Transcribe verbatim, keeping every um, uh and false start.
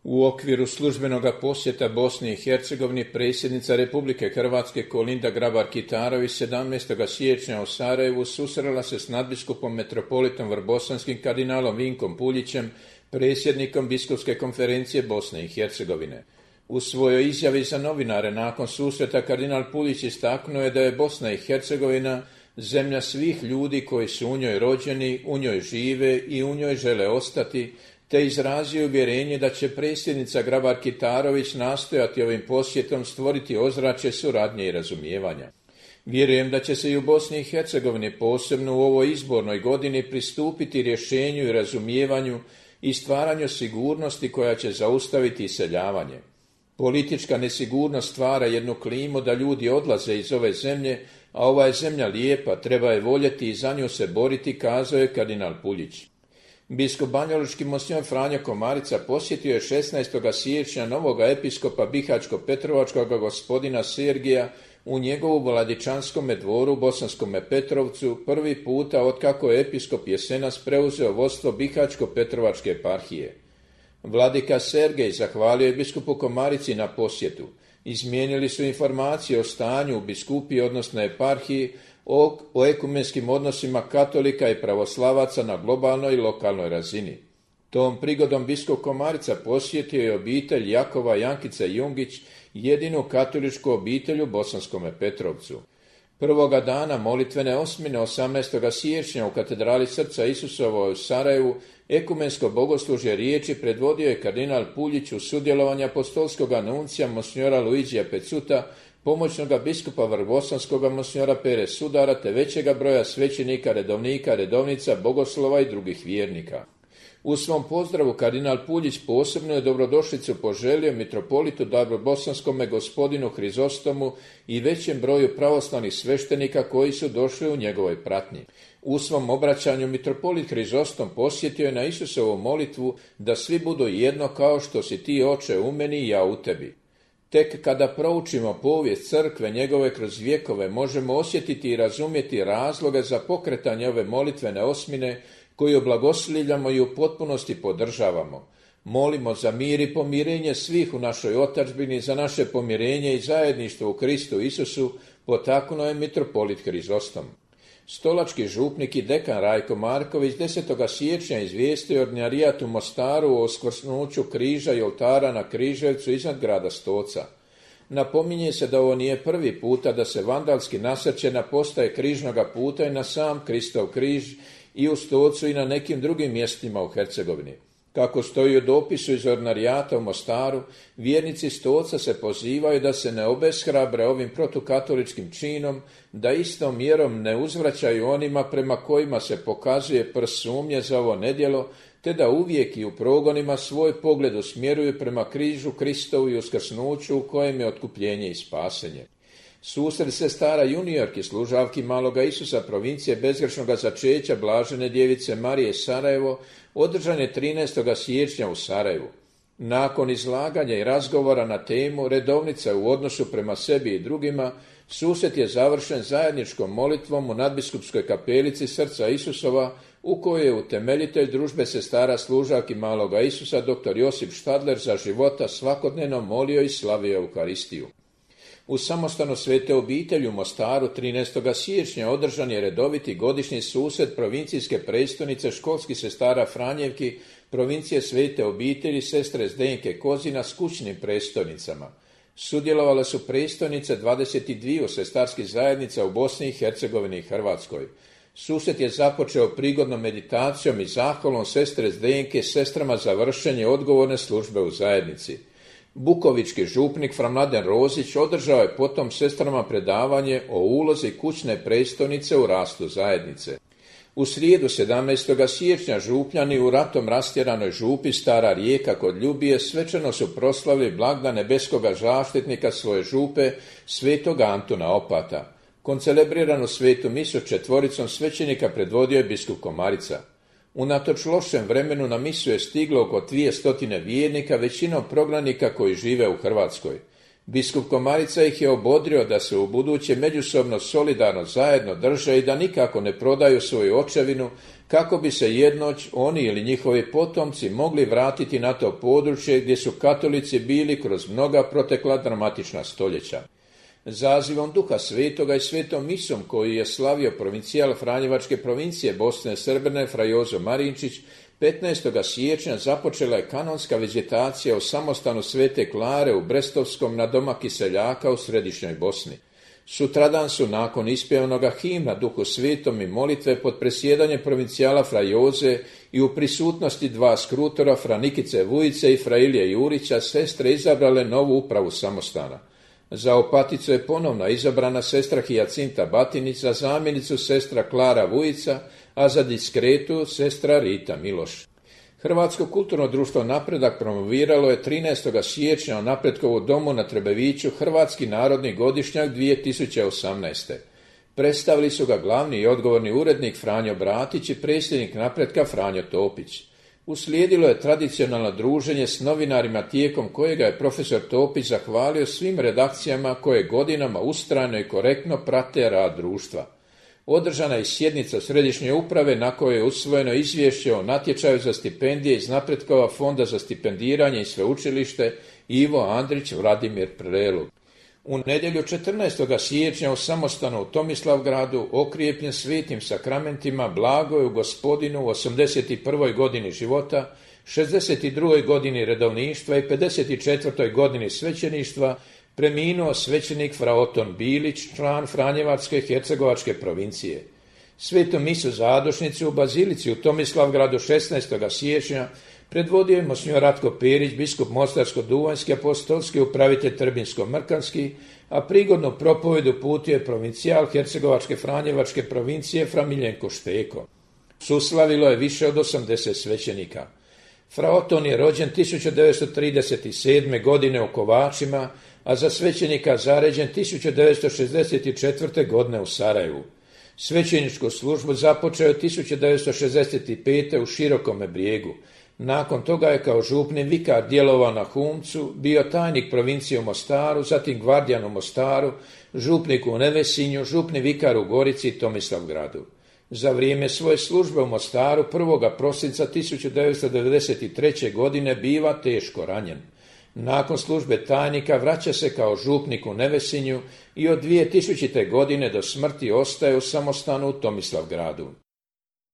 U okviru službenog posjeta Bosni i Hercegovini predsjednica Republike Hrvatske Kolinda Grabar-Kitarović sedamnaestog siječnja u Sarajevu susrela se s nadbiskupom metropolitom vrbosanskim kardinalom Vinkom Puljićem, predsjednikom Biskupske konferencije Bosne i Hercegovine. U svojoj izjavi za novinare nakon susreta kardinal Puljić istaknuo je da je Bosna i Hercegovina zemlja svih ljudi koji su u njoj rođeni, u njoj žive i u njoj žele ostati, te izrazio uvjerenje da će predsjednica Grabar-Kitarović nastojati ovim posjetom stvoriti ozračje suradnje i razumijevanja. Vjerujem da će se i u Bosni i Hercegovini posebno u ovoj izbornoj godini pristupiti rješenju i razumijevanju i stvaranju sigurnosti koja će zaustaviti iseljavanje. Politička nesigurnost stvara jednu klimu da ljudi odlaze iz ove zemlje, a ova je zemlja lijepa, treba je voljeti i za nju se boriti, kazao je kardinal Puljić. Biskup banjalučki monsignor Franjo Komarica posjetio je šesnaestog siječnja novoga episkopa Bihaćko-Petrovačkog gospodina Sergija u njegovu Vladičanskome dvoru u Bosanskome Petrovcu prvi puta otkako je episkop Jesenas preuzeo vodstvo Bihaćko-Petrovačke eparhije. Vladika Sergej zahvalio je biskupu Komarici na posjetu. Izmijenili su informacije o stanju u biskupiji, odnosno eparhiji, o, o ekumenskim odnosima katolika i pravoslavaca na globalnoj i lokalnoj razini. Tom prigodom biskup Komarica posjetio je obitelj Jakova Jankice Jungić, jedinu katoličku obitelj u Bosanskome Petrovcu. Prvoga dana molitvene osmine osamnaestog siječnja u katedrali Srca Isusova u Sarajevu ekumensko bogoslužje riječi predvodio je kardinal Puljić uz sudjelovanje apostolskog nuncija monsignora Luigija Pecuta, pomoćnoga biskupa vrbosanskoga monsignora Pere Sudara te većega broja svećenika, redovnika, redovnica, bogoslova i drugih vjernika. U svom pozdravu kardinal Puljić posebno je dobrodošlicu poželio mitropolitu Darbosanskome gospodinu Hrizostomu i većem broju pravoslavnih sveštenika koji su došli u njegovoj pratnji. U svom obraćanju mitropolit Hrizostom posjetio je na Isusovu molitvu da svi budu jedno kao što si ti, Oče, u meni i ja u tebi. Tek kada proučimo povijest crkve njegove kroz vjekove možemo osjetiti i razumjeti razloge za pokretanje ove molitvene osmine koju blagoslivljamo i u potpunosti podržavamo. Molimo za mir i pomirenje svih u našoj otadžbini, za naše pomirenje i zajedništvo u Kristu Isusu, potaknuo je mitropolit Hrizostom. Stolački župnik i dekan Rajko Marković desetog siječnja izvijestio ordinarijat u Mostaru o uskrsnuću križa i oltara na Križevcu iznad grada Stoca. Napominje se da ovo nije prvi puta da se vandalski nasrće na postaje križnoga puta i na sam Kristov križ i u Stocu i na nekim drugim mjestima u Hercegovini. Kako stoji u dopisu iz ordinarijata u Mostaru, vjernici Stoca se pozivaju da se ne obeshrabre ovim protukatoličkim činom, da istom mjerom ne uzvraćaju onima prema kojima se pokazuje prst sumnje za ovo nedjelo, te da uvijek i u progonima svoj pogled usmjeruju prema križu Kristovu i uskrsnuću u kojem je otkupljenje i spasenje. Susret sestara juniorki služavki Maloga Isusa provincije bezgrešnoga začeća Blažene djevice Marije Sarajevo održan je trinaestog siječnja u Sarajevu. Nakon izlaganja i razgovora na temu redovnica u odnosu prema sebi i drugima, susret je završen zajedničkom molitvom u nadbiskupskoj kapelici Srca Isusova, u kojoj je utemeljitelj družbe sestara služavki Maloga Isusa dr. Josip Štadler za života svakodnevno molio i slavio Euharistiju. U samostanu Svete obitelji u Mostaru trinaestog siječnja održan je redoviti godišnji susret provincijske prestonice školskih sestara Franjevki, provincije Svete obitelji sestre Zdenke Kozina s kućnim prestonicama. Sudjelovale su prestonice dvadeset dva sestarskih zajednica u Bosni i Hercegovini i Hrvatskoj. Susret je započeo prigodnom meditacijom i zahvalom sestre Zdenke sestrama za vršenje odgovorne službe u zajednici. Bukovički župnik fra Mladen Rozić održao je potom sestrama predavanje o ulozi kućne prestonice u rastu zajednice. U srijedu sedamnaestog siječnja župljani u ratom rastjeranoj župi Stara Rijeka kod Ljubije svečano su proslavili blagdan nebeskoga zaštitnika svoje župe svetog Antuna Opata. Koncelebriranu svetu misu četvoricom svećenika predvodio je biskup Komarica. Unatoč lošem vremenu na misu je stiglo oko dvije stotine vjernika, većinom prognanika koji žive u Hrvatskoj. Biskup Komarica ih je obodrio da se u buduće međusobno solidarno zajedno drže i da nikako ne prodaju svoju očevinu, kako bi se jednoć oni ili njihovi potomci mogli vratiti na to područje gdje su katolici bili kroz mnoga protekla dramatična stoljeća. Zazivom Duha Svetoga i svetom misom koju je slavio provincijal Franjevačke provincije Bosne i Srbine fra Jozo Marinčić, petnaestog siječnja započela je kanonska vizitacija u samostanu Svete Klare u Brestovskom na doma Kiseljaka u središnjoj Bosni. Sutradan su nakon ispjevanoga himna Duhu Svetom i molitve pod presjedanjem provincijala fra Joze i u prisutnosti dva skrutora fra Nikice Vujice i fra Ilije Jurića sestre izabrale novu upravu samostana. Za opaticu je ponovno izabrana sestra Hijacinta Batinić, za zamjenicu sestra Klara Vujica, a za diskretu sestra Rita Miloš. Hrvatsko kulturno društvo Napredak promoviralo je trinaestog siječnja u Napretkovu domu na Trebeviću Hrvatski narodni godišnjak dvije tisuće osamnaeste. Predstavili su ga glavni i odgovorni urednik Franjo Bratić i predsjednik Napretka Franjo Topić. Uslijedilo je tradicionalno druženje s novinarima tijekom kojega je profesor Topić zahvalio svim redakcijama koje godinama ustrajno i korektno prate rad društva. Održana je sjednica središnje uprave na kojoj je usvojeno izvješće o natječaju za stipendije iz Napretkova fonda za stipendiranje i sveučilište Ivo Andrić Vladimir Prelog. U nedjelju četrnaestog siječnja u samostanu u Tomislavgradu, okrijepljen svetim sakramentima, blago je u Gospodinu u osamdeset prvoj godini života, šezdeset drugoj godini redovništva i pedeset četvrtoj godini svećeništva preminuo svećenik fra Oton Bilić, član Franjevačke hercegovačke provincije. Svetu misu zadošnicu u bazilici u Tomislavgradu šesnaestog siječnja predvodio je monsignor Ratko Perić, biskup Mostarsko-Duvanjski, apostolski upravitelj Trbinsko-Mrkanski, a prigodnu propovedu uputio je provincijal Hercegovačke Franjevačke provincije fra Miljenko Šteko. Suslavilo je više od osamdeset svećenika. Fra Oton je rođen tisuću devetsto trideset sedme. godine u Kovačima, a za svećenika zaređen tisuću devetsto šezdeset četvrte. godine u Sarajevu. Svećeničku službu započeo je tisuću devetsto šezdeset pete. u Širokome Brijegu. Nakon toga je kao župni vikar djelovao na Humcu, bio tajnik provincije u Mostaru, zatim gvardijan u Mostaru, župnik u Nevesinju, župni vikar u Gorici i Tomislavgradu. Za vrijeme svoje službe u Mostaru prvog prosinca tisuću devetsto devedeset treće. godine biva teško ranjen. Nakon službe tajnika vraća se kao župnik u Nevesinju i od dvije tisućite. godine do smrti ostaje u samostanu u Tomislavgradu.